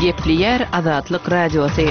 Gepleýär Azatlyk Radiosy.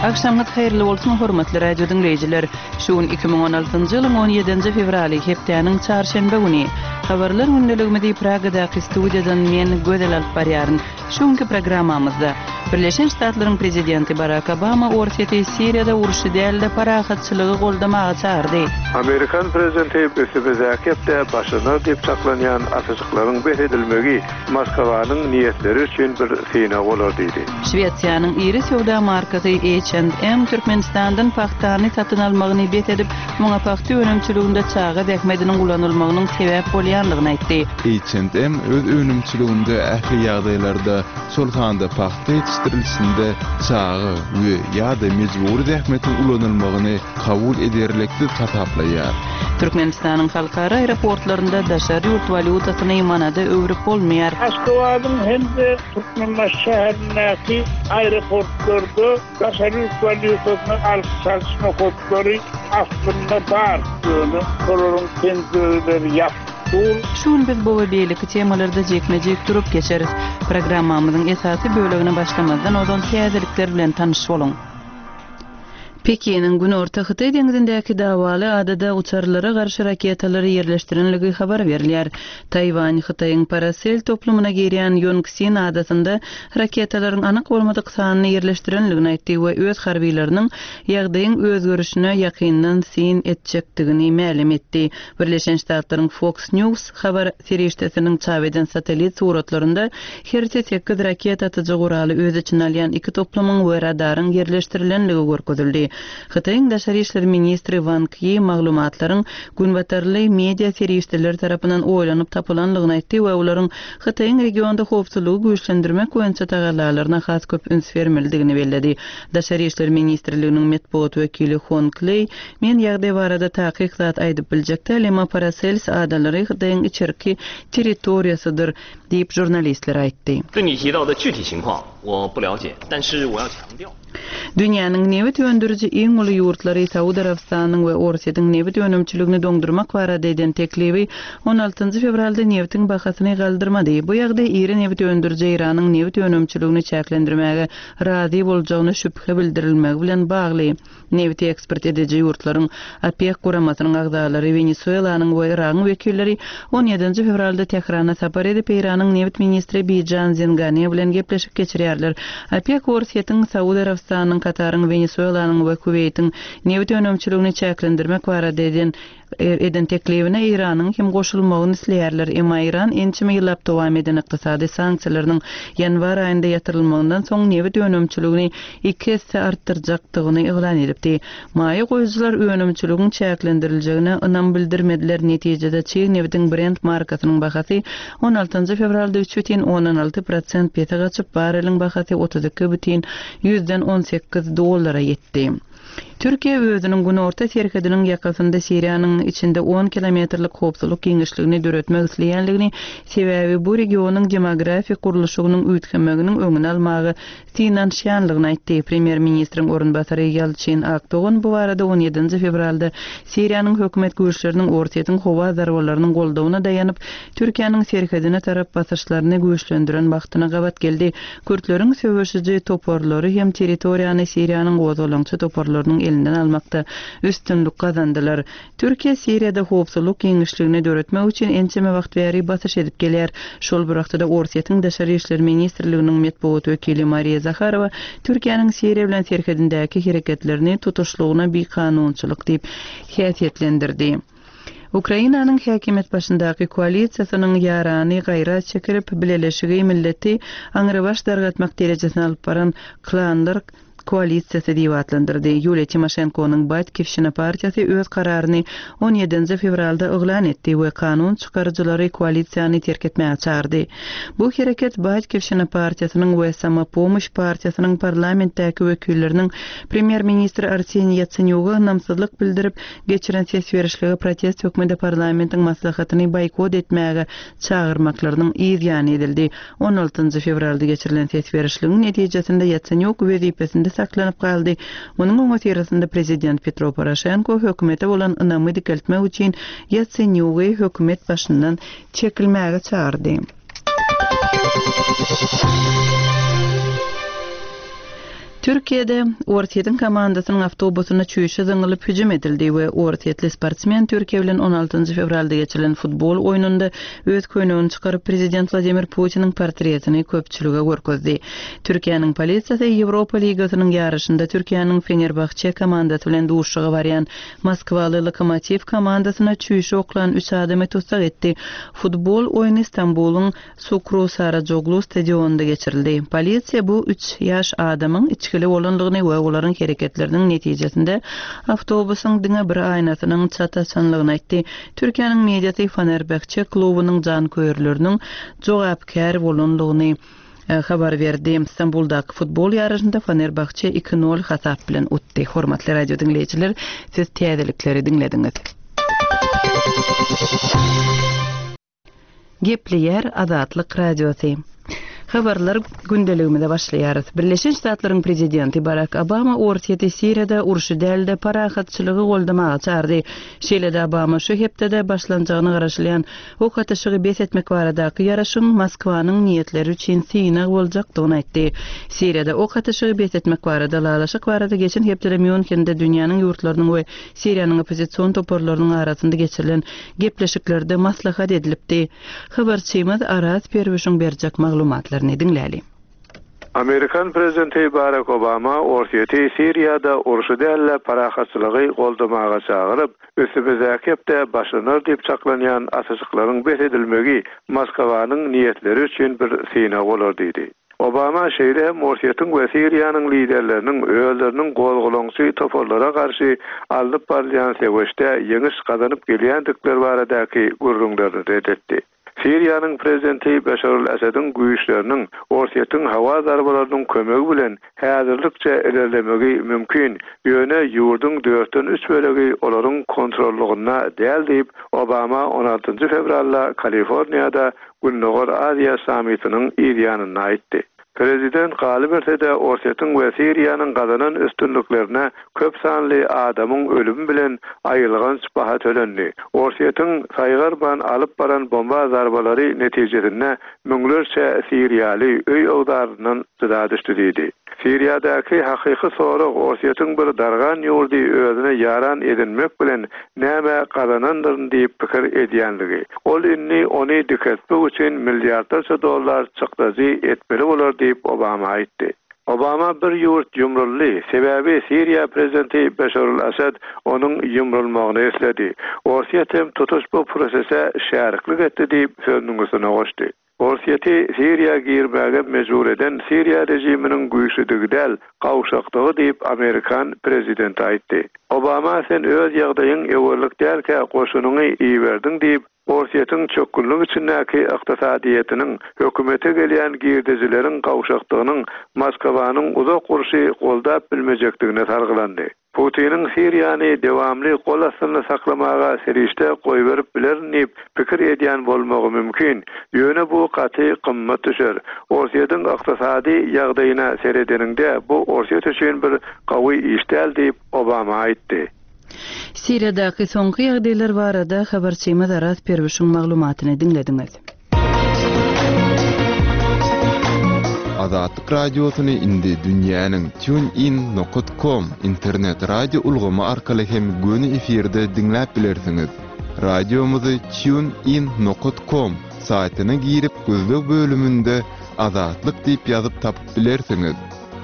Agşamyňyz haýyrly bolsun, hormatly radio diňleýjiler! Şu gün 2016-njy ýylyň 17-nji fewraly, hepdäniň çarşenbe güni. Habarlar gündeligimizi Pragadaky studiýadan men, Gözel alyp barýaryn. Şu günki programmamyzda, Birleşen Ştatlaryň prezidenti Barak Obama Orsýeti Siriýada urşy däl-de, parahatçylygy goldamaga çagyrdy. Amerikan prezidenti üstümizdäki hepde başlanar diýip çaklanýan atyşyklaryň bes edilmegi Moskwanyň niýetleri üçin bir synag bolar diýdi. Şwesiýanyň iri söwda markasy H and M Türkmenistandan pagtany satyn almagyny bes edip, muňa pagta önümçiliginde çaga zähmediniň ulanylmagynyň sebäp bolýandygyny aýtdy. H and M öz önümçiliginde ähli ýagdaýlarda, şol sanda pagta ýetişdirilişinde çaga we, ýa-da, mejbury zähmetiň ulanylmagyny kabul ederliksiz hasaplaýar. Türkmenistanyň halkara aeroportlarynda daşary ýurt walýutasyny manada öwrüp bolmaýar. Aşgabadyň hem-de Türkmenbaşy şäherindäki aeroportlarda daşary ýurt walýutasyny alyş-çalyş nokatlary aslynda bar, ýöne olaryň penjireleri ýapyk dur. Şu gün biz bu we beýleki temalarda jikme-jik durup geçeris. Programmamyzyň esasy bölegine başlamazdan ozal täzelikler bilen tanyş boluň. Pekiniň Günorta Hytaý deňzindäki dawaly adada uçarlara garşy raketalary ýerleşdirenligi habar berilýär. Taýwan Hytaýyň Parasel toplumyna girýän Ýonksin adasynda raketalaryň anyk bolmadyk sanyny ýerleşdirenligini aýtdy we öz harbylarynyň ýagdaýyň özgerişine ýakyndan syn etjekdigini mälim etdi. Birleşen Ştatlaryň Fox News habar serişdesiniň çap eden satellit suratlarynda hersi sekiz raketa atyjy guraly öz içine alýan iki toplumyň we radaryň ýerleşdirilenligi görkezildi. Hytaýyň daşary işler ministri Wang Ýi maglumatlaryň günbatarly media serişdeleri tarapyndan oýlanyp tapylanlygyny aýtdy we olaryň Hytaýyň regionda howpsuzlygy güýçlendirmek boýunça tagallalaryna has köp üns bermelidigini belledi. Daşary işler ministrliginiň metbugat wekili Hong Leý Men ýagdaý barada takyk zat aýdyp biljek däl, emma Parasels adalary Hytaýyň içerki territoriýasydyr, diýip, žurnalistlere aýtdy. Dünýäniň nebit öndüriji iň uly ýurtlary Saud Arabystanynyň we Orsýetiň nebit önümçiligini doňdurmak barada eden teklibi on altynjy fewralda nebitiň bahasyny galdyrmady. Bu ýagdaý iri nebit öndüriji Eýranyň nebit önümçiligini çäklendirmäge razy boljagyna şübhe bildirilmegi bilen bagly. Nebiti eksport ediji ýurtlaryň OPEK guramasynyň agzalary Wenesuelanyň we Yragyň wekilleri on ýedinji fewralda Tährana sapar edip, Eýranyň nebit ministri Bijan Zengane bilen gepleşik geçirýärler. OPEK Orsýetiň, Saud Arabystanynyň, Kataryň, Wenesuelanyň we Kuweýtiň nebit önümçiligini çäklendirmek barada eden eden teklibine Eýranyň hem goşulmagyny isleýärler. Emma Eýran ençeme ýyllap dowam eden ykdysady sanksiýalarynyň ýanwar aýynda ýatyrylmagyndan soň nebit önümçiligini iki esse artdyrjakdygyny yglan edipdi. Maýa goýujylar önümçiligiň çäklendiriljegine ynam bildirmediler, netijede çig nebitiň Brent markasynyň bahasy on altynjy fewralda üç bütin ondan alty prosent pese gaçyp, barreliň bahasy 32 bütin ýüzden 18 dollara ýetdi. Türkiýe özüniň günorta serhediniň ýakasynda Siriýanyň içinde on kilometrlik howpsuzlyk giňişligini döretmek isleýänligini, sebäbi bu regionyň demografik gurluşygynyň üýtgemeginiň öňüni almaga synanyşýanlygyny aýtdy. Premýer-ministriň orunbasary Ýalçyn Akdogan bu barada on ýedinji fewralda Siriýanyň hökümet güýçleriniň Orsýetiň howa zarbalarynyň goldawyna daýanyp, Türkiýäniň serhedine tarap basyşlaryny güýçlendiren wagtyna gabat geldi. Kürtleriň söweşiji toparlary hem territoriýany Siriýanyň gozgalaňçy toparlarynyň elinden almakda üstünlik gazandylar. Türkiýe Siriýada howpsuzlyk giňişligini döretmek üçin ençeme wagt bäri basyş edip gelýär. Şol bir wagtda-da Orsýetiň Daşary işler ministrliginiň metbugat wekili Mariýa Zaharowa Türkiýäniň Siriýa bilen serhedindäki hereketlerini tutuşlygyna bikanunçylyk diýip häsiýetlendirdi. Ukrainanyň häkimiýet başyndaky koalisiýasynyň ýarany gaýra çekilip, bileleşigi milleti aňrybaş dargatmak derejesine alyp baran klanlar koalisiýasy diýip atlandyrdy. Ýuliýa Timoşenkonyň Batkiwşina partiýasy öz kararyny on ýedinji fewralda yglan etdi we kanun çykaryjylary koalisiýany terk etmäge çagyrdy. Bu hereket Batkiwşina partiýasynyň we Samopomoş partiýasynyň parlamentdäki wekilleriniň premýer-ministr Arseniý Ýatsenýuga ynamsyzlyk bildirip, geçiren ses berişlige protest hökmünde parlamentiň maslahatyny boýkot etmäge çagyrmaklarynyň yz ýany edildi. On altynjy fewralda geçirilen ses berişligiň netijesinde Ýatsenýuk wezipesinde saklanyp galdy. Munuň öňüsyrasynda prezident Petro Poroşenko hökümete bolan ynamy dikeltmek üçin Ýatsenýugy hökümet başyndan çekilmäge çagyrdy. Türkiýede Orsýetiň komandasynyň awtobusyna çüýşe zyňylyp hüjüm edildi we orsýetli sportsmen Türkiýe bilen on altynjy fewralda geçirilen futbol oýnunda öz köýnegini çykaryp prezident Wladimir Putiniň portretini köpçülige görkezdi. Türkiýäniň polisiýasy Ýewropa ligasynyň ýaryşynda Türkiýäniň Fenerbahçe komandasy bilen duşuşyga barýan Moskwaly Lokomotiw komandasyna çüýşe oklan üç adamy tussag etdi. Futbol oýny Stambulyň Sukru Sarajoglu stadionynda geçirildi. Polisiýa bu üç ýaş adamyň içgili bolandygyny we olaryň hereketleriniň netijesinde awtobusyň diňe bir aýnasynyň çat açanlygyny aýtdy. Türkiýäniň mediasy Fenerbahçe klubunyň janköýerleriniň jogapkär bolandygyny habar berdi. Stambuldaky futbol ýaryşynda Fenerbahçe iki-nol hasap bilen utdy. Hormatly radio diňleýjiler, siz täzelikleri diňlediňiz. Gepleýär Azatlyk Radiosy. Habarlar gündeligimize başlaýarys. Birleşen Ştatlaryň prezidenti Barak Obama Orsýeti Siriýada urşy däl-de, parahatçylygy goldamaga çagyrdy. Şeýle-de Obama şu hepdede başlanjagyna garaşylýan ok atyşygy bes etmek baradaky ýaraşygyň Moskwanyň niýetleri üçin synag boljakdygyny aýtdy. Siriýada ok atyşygy bes etmek barada ylalaşyk barada geçen hepdede Mýunhende dünýäniň ýurtlarynyň we Siriýanyň oppozision toparlarynyň arasynda geçirilen gepleşiklerde maslahat edilipdi. Habarçymyz Araz Perwişiň berjek maglumatlaryny diňläli. Amerikan prezidenti Barak Obama Orsýeti Siriýada urşy däl-de, parahatçylygy goldamaga çagyryp, üstümizdäki hepde başlanar diýip çaklanýan atyşyklaryň bes edilmegi Moskwanyň niýetleri üçin bir synag bolar diýdi. Obama şeýle hem Orsýetiň we Siriýanyň liderleriniň özleriniň gozgalaňçy toparlara garşy alnyp barylýan söweşde ýeňiş gazanyp gelýändikleri baradaky gürrüňlerini ret etdi. Siriýanyň prezidenti Beşar al-Asadiň güýçleriniň Orsýetiň howa zarbalarynyň kömegi bilen häzirlikçe ilerlemegi mümkin, ýöne ýurduň dörtden üç bölegi olaryň kontrollygynda däl diýip, Obama on altynjy fewralda Kaliforniýada Gündogar Aziýa sammitiniň yz ýanynda aýtdy. Prezident galyberse-de, Orsýetiň we Siriýanyň gazanan üstünliklerine köp sanly adamyň ölümi bilen aýylganç baha tölendi. Orsýetiň saýgarman alyp baran bomba zarbalary netijesinde müňlerçe siriýaly öý-öwzaryndan jyda düşdi diýdi. Siriýadaky hakyky sorag Orsýetiň bir dargan ýurdy özüne ýaran edinmek bilen näme gazanandyryn diýip pikir edýänligi. Ol indi ony dikeltmek üçin milliardlarça dollar çykdajy etmeli bolar diýip Obama aýtdy. Obama bir ýurt ýumruldy, sebäbi Siriýa prezidenti Beşar al-Assad onuň ýumrulmagyny isledi. Orsýet hem tutuş bu prosese şäriklik etdi diýip sözüniň üstüne goşdy. Orsýeti Siriýa girmäge mejbur eden Siriýa režiminiň güýçlüdigi däl, gowşakdygy diýip, amerikan prezidenti aýtdy. Obama sen öz ýagdaýyň öwerlik dälkä goşunyňy iberdiň diýip, Orsýetiň çökgünlik içindäki ykdysadyýetiniň, hökümete gelýän girdejileriň gowşakdygynyň Moskwanyň uzak urşy goldap bilmejekdigine salgylandy. Putiniň Siriýany dewamly gol astynda saklamaga serişde goýberip bilerin diýip pikir edýän bolmagy mümkin, ýöne bu gaty gymmat düşer. Orsýetiň ykdysady ýagdaýyna seredeniňde bu Orsýet üçin bir gawy iş däl diýip, Obama aýtdy. Siriýadaky soňky ýagdaýlar barada habarçymyz Araz Perwişiň maglumatyny diňlediňiz. Azatlyk Radiosyny indi dünýäniň TuneIn nokat kom internet radio ulgamy arkaly hem göni efirde diňläp bilersiňiz. Radiomyzy TuneIn nokat kom saýtyna girip gözleg bölüminde Azatlyk diýip ýazyp tapyp bilersiňiz.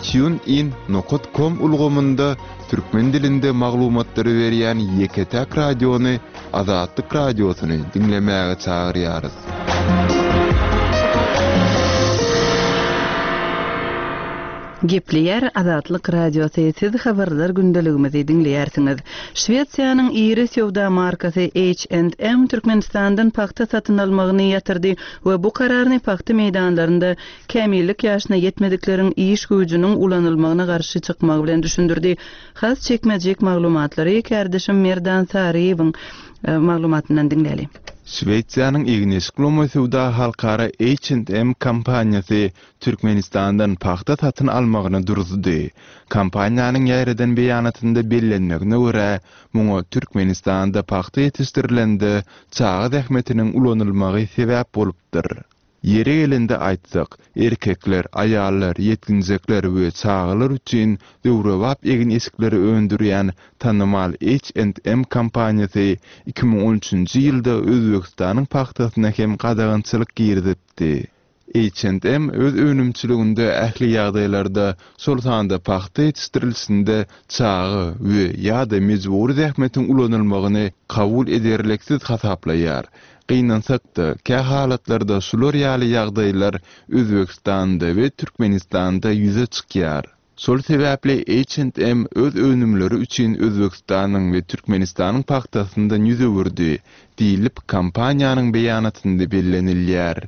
TuneIn nokat kom ulgamynda türkmen dilinde maglumatlary berýän ýeke-täk radiony Azatlyk Radiosyny diňlemäge çagyrýarys. Gepleýär Azatlyk Radiosy, siz habarlar gündeligimizi diňleýärsiňiz. Şwesiýanyň iri söwda markasy H&M Türkmenistandan pagta satyn almagyny ýatyrdy we bu kararyny pagta meýdanlarynda kämillik ýaşyna ýetmedikleriň iş güýjüniň ulanylmagyna garşy çykmagy bilen düşündirdi. Has çekmejik maglumatlary kärdeşim Merdan Saryýewiň maglumatyndan diňläli. Şwesiýanyň egin-eşik lomaý söwda halkara H&M kompaniýasy Türkmenistandan pagta satyn almagyny duruzdy. Kompaniýanyň ýaýradan beýanatynda bellenmegine görä, muňa Türkmenistanda pagta ýetişdirilende çaga zähmetiniň ulanylmagy sebäp bolupdyr. Ýeri gelende aýtsak, erkekler, aýallar, ýetginjekler we çagalar üçin döwrebap egin-eşikleri öndürýän tanymal H&M kompaniýasy 2013-nji ýylda Özbegistanyň pagtasyna hem gadagançylyk girizipdi. H&M öz önümçiliginde ähli ýagdaýlarda, şol sanda pagta ýetişdirilişinde çaga we ýa-da mejbury zähmetiň ulanylmagyny kabul ederliksiz hasaplaýar. Gynansak-da, kähalatlarda şular ýaly ýagdaýlar Özbegistanda we Türkmenistanda ýüze çykýar. Şol sebäpli H&M öz önümleri üçin Özbegistanyň we Türkmenistanyň pagtasyndan ýüz öwürdi, diýlip, kompaniýanyň beýanatynda bellenilýär.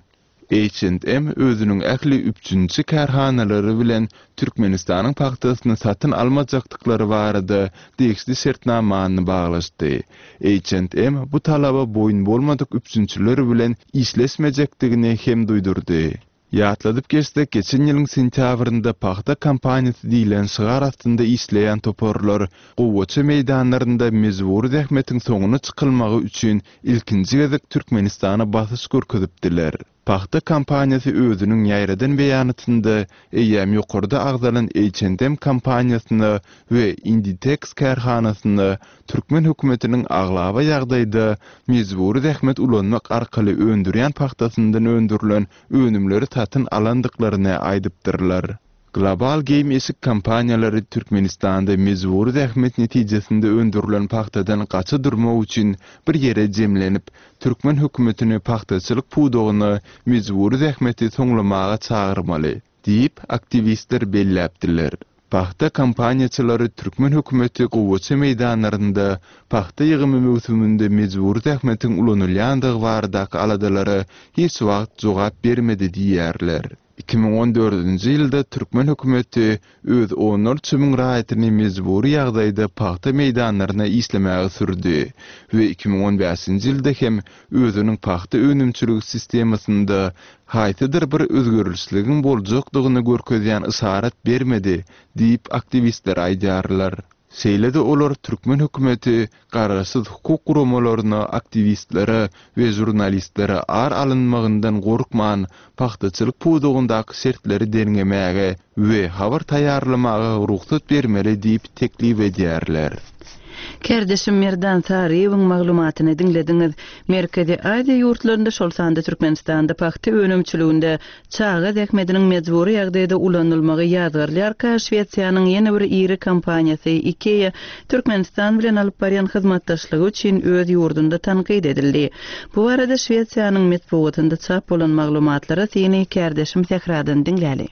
H&M özüniň ähli üpjünçi kärhanalary bilen Türkmenistanyň pagtasyny satyn almajakdyklary barada degişli şertnamany baglaşdy. H&M bu talaba boýun bolmadyk üpjünçiler bilen işleşmejekdigini hem duýdurdy. Ýatladyp geçsek, geçen ýylyň sentýabrynda Pagta kampaniýasy diýlen şygar astynda işleýän toparlar gowaça meýdanlarynda mejbury zähmetiň soňuna çykylmagy üçin ilkinji gezek Türkmenistana basyş görkezipdiler. Pagta kampaniýasy özüniň ýaýradan beýanatynda eýýäm ýokarda agzalan H&M kompaniýasyna we Inditex kärhanasyna türkmen hökümetiniň aglaba ýagdaýda mejbury zähmet ulanmak arkaly öndürýän pagtasyndan öndürilen önümleri satyn alandyklaryny aýdypdyrlar. Global geýim-eşik kompaniýalary Türkmenistanda mejbury zähmet netijesinde öndürilen pagtadan gaça durmak üçin bir ýere jemlenip, türkmen hökümetini pagtaçylyk pudagyna mejbury zähmeti soňlamaga çagyrmaly diýip, aktiwistler belläpdiler. Pagta kompaniýaçylary türkmen hökümeti gowaça meýdanlarynda pagta ýygymy möwsüminde mejbury zähmetiň ulanylýandygy baradaky aladalara hiç wagt jogap bermedi diýýärler. 2014-nji ýylda türkmen hökümeti öz onlarça müň raýatyny mejbury ýagdaýda pagta meýdanlaryna işlemäge sürdi we 2015-nji ýylda hem özüniň pagta önümçiligi sistemasynda haýsydyr bir özgerişligiň boljakdygyny görkezýän yşarat bermedi diýip, aktiwistler aýdýarlar. Şeýle-de olar türkmen hökümeti garaşsyz hukuk guramalaryna, aktiwistlere we žurnalistlere ar alynmagyndan gorkman, pagtaçylyk pudagyndaky şertleri derňemäge we habar taýýarlamaga rugsat bermeli diýip teklip edýärler. Kärdeşim Merdan Saryýewiň maglumatyny diňlediňiz. Merkezi Aziýa ýurtlarynda, şol sanda Türkmenistanda pagta önümçiliginde çaga zähmediniň mejbury ýagdaýda ulanylmagy ýazgarylýarka, Şwesiýanyň ýene bir iri kompaniýasy IKEA Türkmenistan bilen alyp barýan hyzmatdaşlygy üçin öz ýurdunda tankyt edildi. Bu barada Şwesiýanyň metbugatynda çap bolan maglumatlara syny kärdeşim Sähradan diňläli.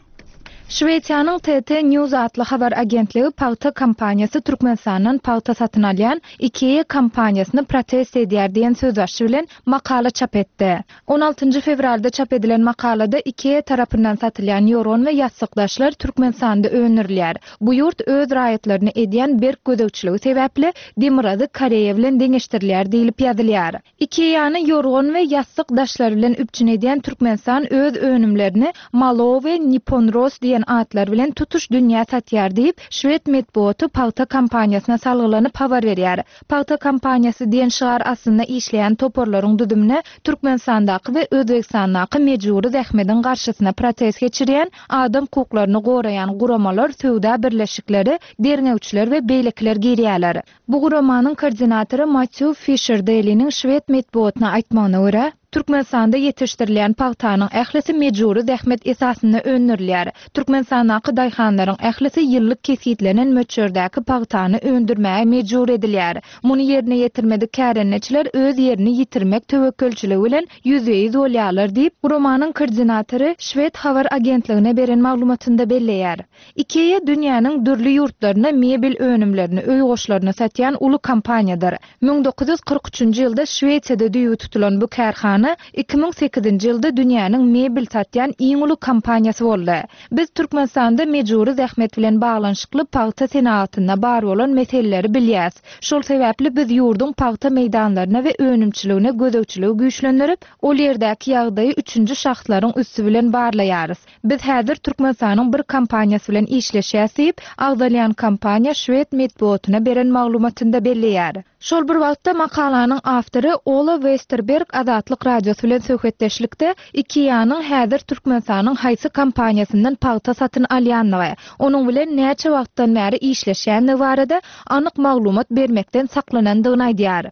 Şwesiýanyň TT News atly habar agentligi pagta kompaniýasy Türkmenistandan pagta satyn alýan IKEA kompaniýasyny protest edýär diýen sözbaşy bilen makala çap etdi. On altynjy fewralda çap edilen makalada IKEA tarapyndan satylýan ýorgan we ýassykdaşlar Türkmenistanda öndürilýär. Bu ýurt öz raýatlaryna edýän berk gözegçiligi sebäpli Demirgazyk Koreýa bilen deňeşdirilýär diýlip ýazylýar. IKEA-ny ýorgan we ýassyk daşlary bilen üpjün edýän Türkmenistan öz önümlerini Malo we Nippon Ros diýen atlar bilen tutuş dünýä satýar diýip, şwed metbugaty pagta kompaniýasyna salgylanyp habar berýär. Pagta kompaniýasy diýen şygar astynda işleýän toparlaryň düzümine Türkmenistandaky we Özbegistandaky mejbury zähmediň garşysyna protest geçirýän, adam hukuklaryny goraýan guramalar, söwda birleşikleri, derňewçiler we beýlekiler girýärler. Bu guramanyň koordinatory Matýu Fişer-Deliniň şwed metbugatyna aýtmagyna görä, Türkmenistanda ýetişdirilýän pagtanyň ählisi mejbury zähmet esasynda öndürilýär. Türkmenistandaky daýhanlaryň ählisi ýyllyk kesgitlenen möçberdäki pagtany öndürmäge mejbur edilýär. Muny ýerine ýetirmedik kärendeçiler öz ýerini ýitirmek töwekgelçiligi bilen ýüzbe-ýüz bolýarlar diýip, guramanyň koordinatory şwed habar agentligine beren maglumatynda belleýär. Ikea dünýäniň dürli ýurtlarynda mebel önümlerini, öý goşlaryny satýan uly kompaniýadyr. 1943 üçünji ýylda Şwesiýada düýbi tutulan bu kärhana 2008-nji ýylda dünýäniň mebel satýan iň uly kompaniýasy boldy. Biz Türkmenistanda mejbury zähmet bilen baglanyşykly pagta senagatynda bar bolan meseleleri bilýäs. Şol sebäpli biz ýurduň pagta meýdanlaryna we önümçiligine gözegçiligi güýçlendirip, ol ýerdäki ýagdaýy üçünji şahslaryň üsti bilen barlaýarys. Biz häzir Türkmenistanyň bir kompaniýasy bilen işleşýäs diýip, agzalýan kompaniýa şwed metbugatyna beren maglumatynda belleýär. Şol bir wagtda, makalanyň awtory Ola Westerberg Azatlyk. Radiosy bilen söhbetdeşlikde IKEA-nyň häzir Türkmenistanyň haýsy kompaniýasyndan pagta satyn alýanlygy, onuň bilen näçe wagtdan bäri işleşýänligi barada anyk maglumat bermekden saklanandygyny aýdýar.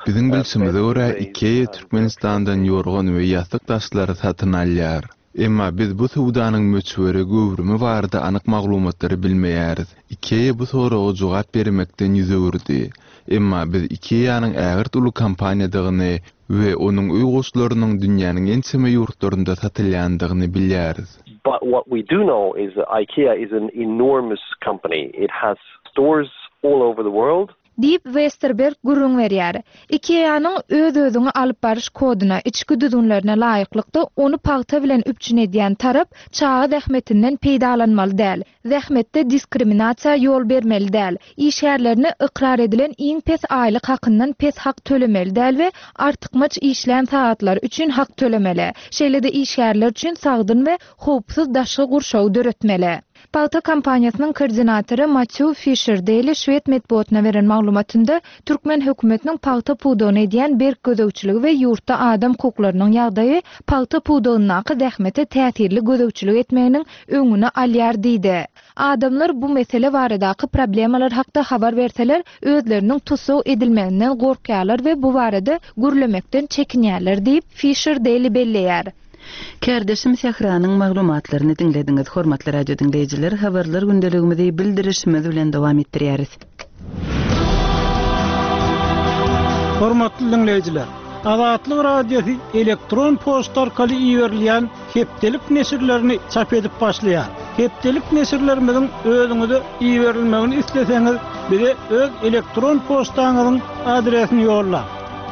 Biziň bilşimize görä, IKEA Türkmenistandan ýorgan we ýassyk daşlary satyn alýar. Emma biz bu söwdanyň möçberi, göwrümi barada anyk maglumatlary bilmeýäris. IKEA bu soraga jogap bermekden ýüz öwürdi. Emma biz IKEA-nyň ägirt uly kompaniýadygyny we onuň öý goşlarynyň dünýäniň ençeme ýurtlarynda satylýandygyny bilýäris. But what we do know is that IKEA is an enormous company. It has stores all over the world. Diýip, Westerberg gürrüň berýär. IKEA-nyň öz-özüňi alyp baryş koduna, içki düzgünlerine laýyklykda, ony pagta bilen üpjün edýän tarap çaga zähmetinden peýdalanmaly däl, zähmetde diskriminasiýa ýol bermeli däl, işgärlerine ykrar edilen iň pes aýlyk hakyndan pes hak tölemeli däl we artykmaç işlän sagatlary üçin hak tölemeli, şeýle-de işgärler üçin sagdyn we howpsuz daşky gurşawy döretmeli. Pagta kompaniýasynyň koordinatory Matýu Fişer-Deli şwed metbugatyna beren maglumatynda, türkmen hökümetiniň pagta pudagyna edýän berk gözegçiligi we ýurtda adam hukuklarynyň ýagdaýy pagta pudagyndaky zähmete täsirli gözegçilik etmeginiň öňüni alýar diýdi. Adamlar bu mesele baradaky problemalar hakda habar berseler, özleriniň tussag edilmeginden gorkýarlar we bu barada gürlemekden çekinýärler diýip, Fişer-Deli belleýär. Kärdeşim Sähranyň maglumatlaryny diňlediňiz. Hormatly radio diňleýjiler, habarlar gündeligimizi bildirişimiz bilen dowam etdirýäris. Hormatly diňleýjiler! Azatlyk Radiosy elektron poçta arkaly iberilýän hepdelik neşirlerini çap edip başlaýar. Hepdelik neşirlerimiziň özüňize iberilmegini isleseňiz, bize öz elektron poçtaňyzyň adresini ýollaň.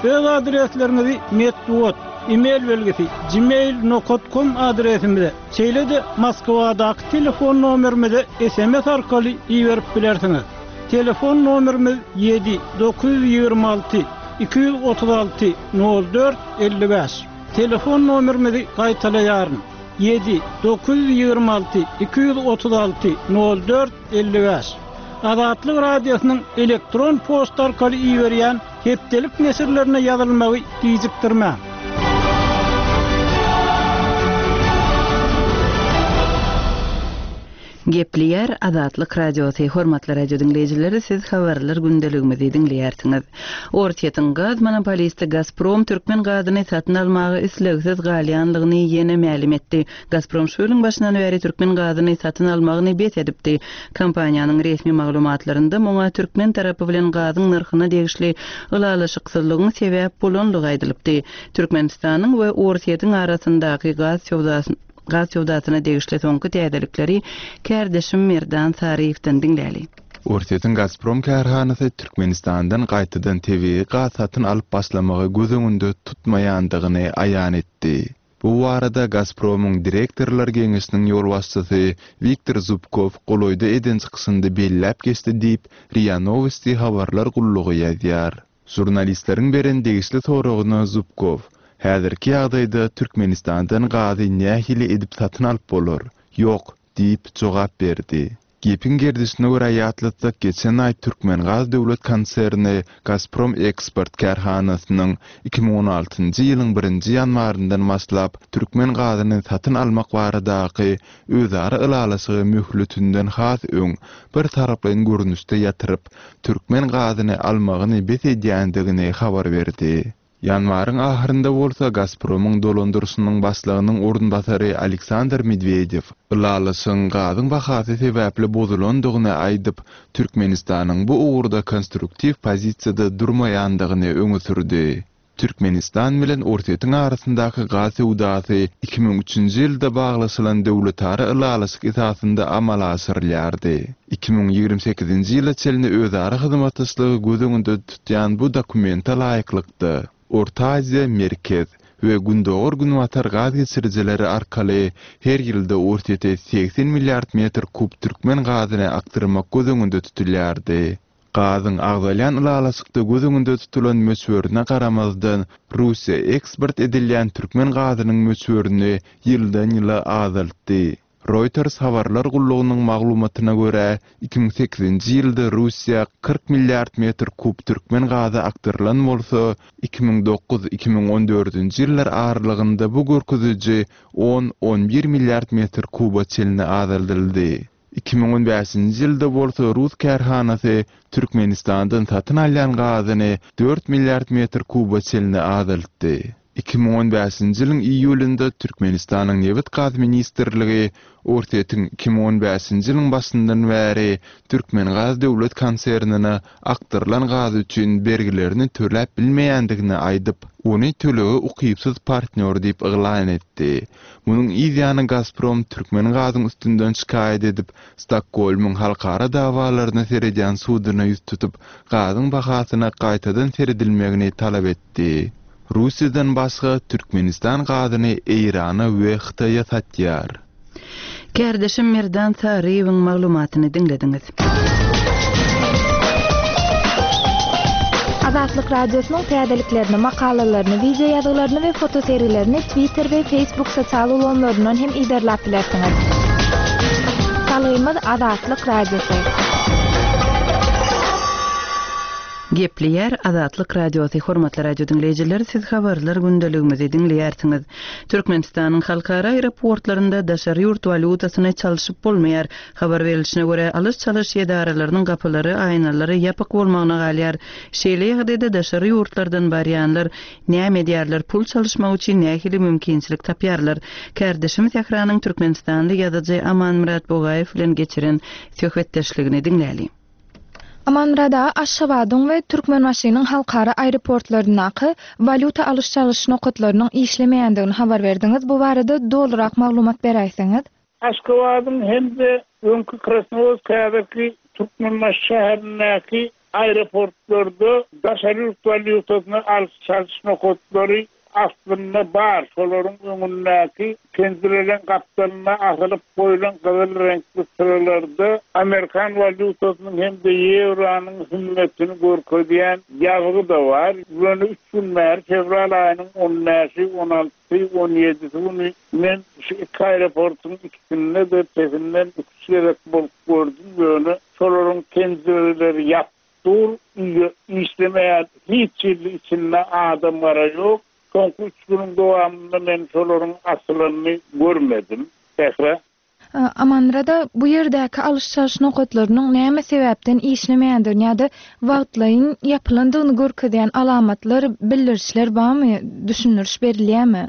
Öz adresleriňizi metbugat, E-mail belgisi, gmail nokat kom adresimize, şeýle-de Moskwadaky telefon nomerimize sms arkaly iberip bilersiňiz. Telefon nomerimiz ýedi, 926 236 04 55. Telefon nomerimizi gaýtalaýaryn, ýedi, 926 236 04 55. Azatlyk Radiosynyň elektron poçta arkaly iberýän Hepdelik neşirlerine ýazylmagy gijikdirmäň! Gepleýär Azatlyk Radiosy, Hormatly radio diňleýjiler, siz habarlar gündeligimizi diňleýärsiňiz. Orsýetiň gaz monopolisti Gazprom türkmen gazyny satyn almaga islegsiz galýanlygyny ýene mälim etdi. Gazprom şu ýylyň başyndan bäri türkmen gazyny satyn almagyny bes edipdi. Kompaniýanyň resmi maglumatlarynda muňa türkmen tarapy bilen gazyň nyrhyna degişli ylalaşyksyzlygyň sebäp bolanlygy aýdylypdy. Türkmenistanyň we Orsýetiň arasyndaky gaz gaz söwdasyna degişli soňky täzelikleri kärdeşim Merdan Saryýewden diňläli. Orsýetiň Gazprom kärhanasy Türkmenistandan gaýtadan tebigy gaz satyn alyp başlamagy göz öňünde tutmaýandygyny aýan etdi. Bu barada Gazpromyň direktorlar geňeşiniň ýolbaşçysy Wiktor Zubkow golaýda eden çykyşynda belläp geçdi diýip, RIA Nowosti habarlar gullugy ýazýar. Žurnalistleriň beren degişli soragyna Zubkow, Häzirki ýagdaýda Türkmenistandan gazy nähili edip satyn alyp bolar? Ýok, diýip, jogap berdi. Gepiň gerdişine görä ýatlatsak, geçen aý Türkmengaz döwlet konserni Gazprom Eksport kärhanasynyň 2016-njy ýylyň birinji ýanwaryndan başlap türkmen gazyny satyn almak baradaky özara ylalaşygy möhletinden has öň birtaraplaýyn görnüşde ýatyryp, türkmen gazyny almagyny bes edýändigini habar berdi. Ýanwaryň ahyrynda bolsa Gazpromyň dolandyryşynyň başlygynyň orunbasary Aleksandr Medwedew ylalaşygyň gazyň bahasy sebäpli bozulandygyny aýdyp, Türkmenistanyň bu ugurda konstruktiw pozisiýada durmaýandygyny öňe sürdi. Türkmenistan bilen Orsýetiň arasyndaky gaz söwdasy 2003-nji ýylda baglaşylan döwletara ylalaşyk esasynda amala aşyrylýardy. 2028-nji ýyla çenli özara hyzmatdaşlygy göz öňünde tutýan bu dokumente laýyklykda, Orta Aziýa, Merkez we Gündogar-Günbatar gaz geçirijileri arkaly her ýylda Orsýete 80 milliard metr kub türkmen gazyny akdyrmak göz öňünde tutulýardy. Gazyň agzalýan ylalaşykda göz öňünde tutulan möçberine garamazdan, Russiýa eksport edilýän türkmen gazynyň möçberini ýyldan-ýyla azaltdy. Reuters habarlar gullugynyň maglumatyna görä, 2008-nji ýylda Russiýa 40 milliard metr kub türkmen gazy akdyrylan bolsa, 2009, 2014-nji ýyllar aralygynda bu görkeziji on, on bir milliard metr kuba çenli azaldyldy. 2015-nji ýylda bolsa rus kärhanasy Türkmenistandan satyn alýan gazyny dört milliard metr kuba çenli azaltdy. 2015-nji ýylyň iýulynda Türkmenistanyň Nebit-gaz ministrligi Orsýetiň 2015-nji ýylyň başyndan bäri Türkmengaz döwlet konsernine akdyrylan gaz üçin bergilerini töläp bilmeýändigini aýdyp, ony tölege ukypsyz partnýor diýip yglan etdi. Munuň yz ýany Gazprom Türkmengazyň üstünden şikaýat edip, Stokgolmyň halkara dawalaryna seredýän suduna ýüz tutup, gazyň bahasyna gaýtadan seredilmegini talap etdi. Russiýadan başga, Türkmenistan gazyny Eýrana we Hytaýa satýar. Kärdeşim Merdan Saryýewiň maglumatyny diňlediňiz. Azatlyk Radiosynyň täzeliklerini, makalalaryny, wideo ýazgylaryny we fotosergilerini Twitter we Facebook sosial ulgamlaryndan hem yzarlap bilersiňiz. Salgymyz Azatlyk Radiosy. Gepleýär Azatlyk Radiosy Hormatly radio diňleýjiler siz habarlar gündeligimizi diňleýärsiňiz. Türkmenistanyň halkara aeroportlarynda daşary ýurt walýutasyny çalşyp bolmaýar. Habar berilişine görä, alyş-çalyş edaralarynyň gapylary, aýnalary ýapyk bolmagyna galýar. Şeýle ýagdaýda daşary ýurtlardan barýanlar näme edýärler, pul çalyşmak üçin nähili mümkinçilik tapýarlar? Kärdeşim Sähranyň türkmenistanly ýazyjy Amanmyrat Bugaýew bilen geçiren söhbetdeşligini diňläliň. Amanmyrat aga, Aşgabadyň we Türkmenbaşynyň halkara aeroportlaryndaky walýuta alyş-çalyş nokatlarynyň işlemeýändigini habar berdiňiz. Bu barada dolurak maglumat beräýseňiz? Aşgabadyň hem-de öňki Krasnowodsk häzirki Türkmenbaşy şäherindäki aeroportlarda daşary ýurt walýutasyny alyş-çalyş nokatlary aslynda bar, şolaryň öňündäki penjireleň gapdalynda asylyp goýlan gyzyl reňkli çyralarda amerikan walýutasynyň hem-de ýewronyň hümmetini görkezýän ýazgy-da bar. Ýöne üç gün bäri, fewral aýynyň on bäşi, on altysy, on ýedisi güni men şu iki aeroportuň ikisinde-de pesinden iki-üç gezek bolup gördüm, ýöne şolaryň penjireleri ýapyk. Dur uýa işlemeýän hiç hili içinde adam gara ýok. Soňky üç günüň dowamynda men şolaryň açylanyny görmedim. Sähra. Amanmyrada bu ýerdäki alyş-çalyş nokatlarynyň näme sebäpden işlemeýändigini ýa-da wagtlaýyn ýapylandygyny görkezýän alamatlar, bildirişler barmy, düşündiriş berilýärmi?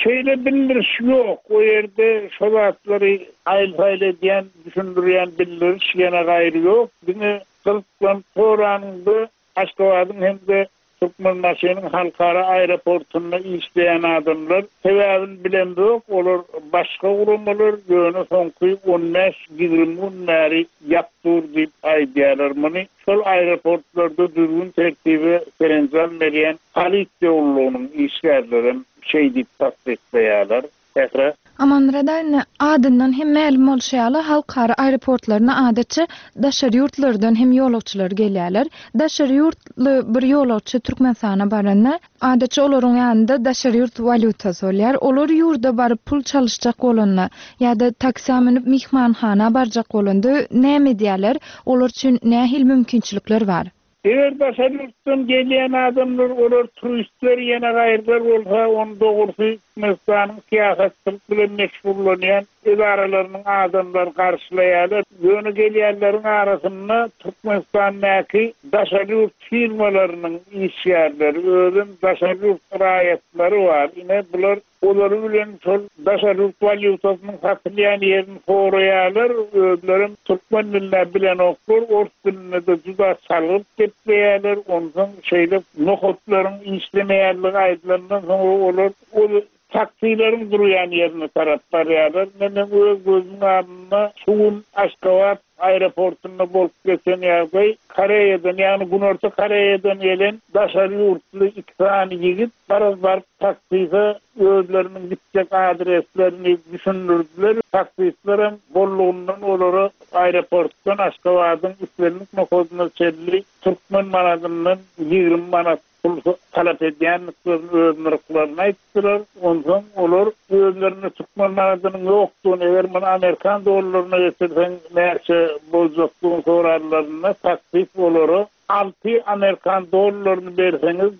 Şeýle bildiriş ýok. O ýerde şo zatlary aýyl-saýyl edýän, düşündirýän bildiriş ýene gaýry ýok. Diňe gyzyklanyp soranyňda Aşgabadyň hem-de Türkmenbaşynyň halkara aeroportunda işleýän adamlar, sebäbini bilemzok, olar başga guramalar, ýöne soňky on bäş-ýigrimi gün bäri ýap dur diýip aýdýarlar muny. Şol aeroportlarda düzgün-tertibe serenjam berýän polisiýa gullugynyň işgärlerem şeý diýip tassyklaýarlar. Sähra. Amanmyrat aga, indi adyndan hem mälim bolşy ýaly, halkara aeroportlaryna adatça daşary ýurtlardan hem ýolagçylar gelýärler. Daşary ýurtly bir ýolagçy Türkmenistana baranda, adatça olaryň ýanynda daşary ýurt walýutasy bolýar. Olar ýurda baryp pul çalyşjak bolanda ýa-da taksä münüp myhmanhana barjak bolanda näme edýärler? Olar üçin nähili mümkinçilikler bar? Eger daşary ýurtdan gelýän adamlar, olar turistler, ýene gaýrylar bolsa, ony dogrusy Türkmenistanyň syýahatçylyk bilen meşgullanýan edaralarynyň adamlary garşylaýarlar. Ýöne gelýänleriň arasynda Türkmenistandaky daşary ýurt firmalarynyň işgärleri, özem daşary ýurt raýatlary bar. Ine, bular Olary bilen şol daşary ýurt walýutasynyň satylýan ýerini soraýarlar, özlerem türkmen dilini-ä bilenoklar, ors dilinde-de juda çalgyrt gepleýärler, onsoň şeýle nokatlaryň işlemeýänligi aýdylandan soňra olar ol taksileriň durýan ýerine tarap barýarlar. Ine, meň öz gözümiň alnynda şu gün Aşgabat aeroportunda bolup geçen ýagdaý, Koreýadan, ýagny Günorta Koreýadan gelen daşary ýurtly iki sany ýigit Garaz baryp taksise özleriniň gitjek adreslerini düşündirdiler. Taksistlerem bollugyndan olara aeroportdan Aşgabadyň islendik nokadyna çenli türkmen manadyndan 20 manat. pul talap edýändiklerini öz nyrhlaryny aýtdylar. Onsoň olar özlerinde türkmen manadynyň ýokdugyny, eger muny amerikan dollaryna geçirseň näçe boljakdygyny soranlarynda taksist olara alty amerikan dollaryny berseňiz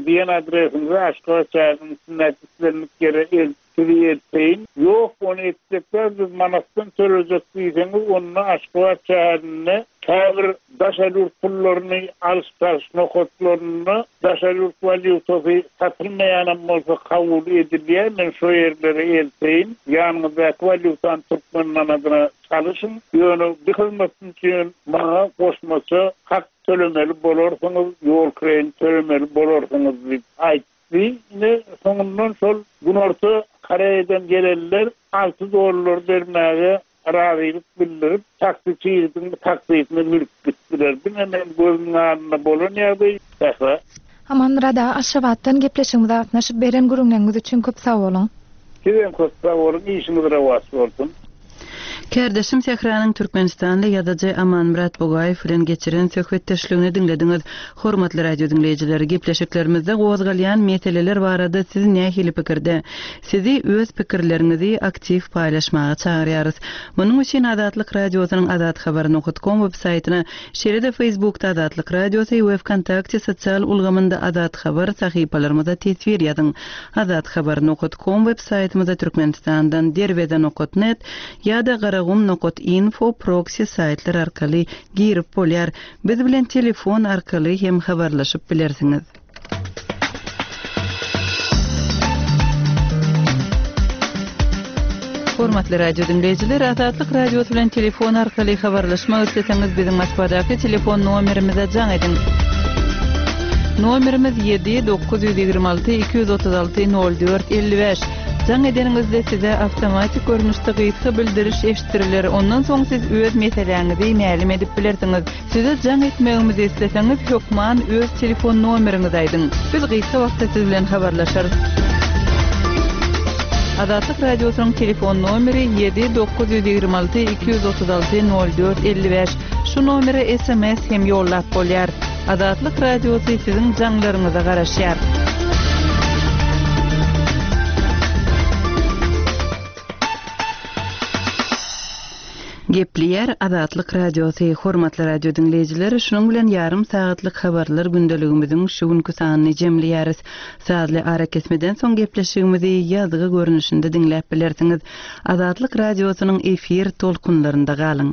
diýen adresiňize Aşgabat şäheriniň içindäki islendik ýere eltip Sizi elteýin. Ýok, ony etjek däl, biz manatdan tölejek diýseňiz, onda Aşgabat şäherinde käbir daşary ýurt pullaryny alyş-çalyş nokatlarynda daşary ýurt walýutasy satylmaýanam bolsa kabul edilýär, men şo ýerlere elteýin, ýanyňyzdaky walýutany türkmen manadyna çalyşyň, ýöne bu hyzmat üçin maňa goşmaça hak tölemeli bolarsyňyz, ýol kireýini tölemeli bolarsyňyz diýip aýtdy. Ine, soňundan şol Günorta Koreýadan gelenler alty dollar bermäge razylyk bildirip, taksiçi ýigidiň taksisine münüp gitdiler. Diňe meň gözümiň alnynda bolan ýagdaý. Sähra. Amanmyrat aga Aşgabatdan gepleşigimize gatnaşyp beren gürrüňleriňiz üçin köp sag boluň. Sizem köp sag boluň, işiňiz rowaç bolsun. Kärdeşim Sähranyň türkmenistanly ýazyjy Amanmyrat Bugaýew bilen geçiren söhbetdeşligini diňlediňiz. Hormatly radio diňleýjiler, gepleşiklerimizde gozgalýan meseleler barada siz nähili pikirde? Sizi öz pikirleriňizi aktiw paýlaşmaga çagyrýarys. Munuň üçin Azatlyk Radiosynyň azathabar nokat kom web saýtyna, şeýle-de Facebookda Azatlyk Radiosy we Wkontakte sosial ulgamynda Azathabar sahypalarymyza teswir ýazyň. Azathabar nokat kom web saýtymyza Türkmenistandan Derweze nokat net ýa-da Garagum nokat info proksi saýtlar arkaly girip bolýar. Biz bilen telefon arkaly hem habarlaşyp bilersiňiz. Hormatly radio diňleýjiler, Azatlyk Radiosy bilen telefon arkaly habarlaşmak isleseňiz biziň Moskwadaky telefon nomerimize jaň ediň. Nomerimiz 7 926 236 04 55. Jaň edeniňizde size awtomatik görnüşde gysga bildiriş eşitdiriler. Ondan soň siz öz meseläňizi mälim edip bilersiňiz. Size jaň etmegimizi isleseňiz hökman öz telefon nomeriňizi aýdyň. Biz gysga wagtda siz bilen habarlaşarys. Azatlyk Radiosynyň telefon nomeri 7 926 236 04 55. Şu nomere sms hem ýollap bolýar. Azatlyk Radiosy siziň jaňlaryňyza garaşýar. Gepleýär Azatlyk Radiosy, Hormatly radio diňleýjiler, şunuň bilen ýarym sagatlyk habarlar gündeligimiziň şu günki sanyny jemleýäris. Sazly arakesmeden soň gepleşigimizi ýazgy görnüşinde diňläp bilersiňiz. Azatlyk Radiosynyň efir tolkunlarynda galyň!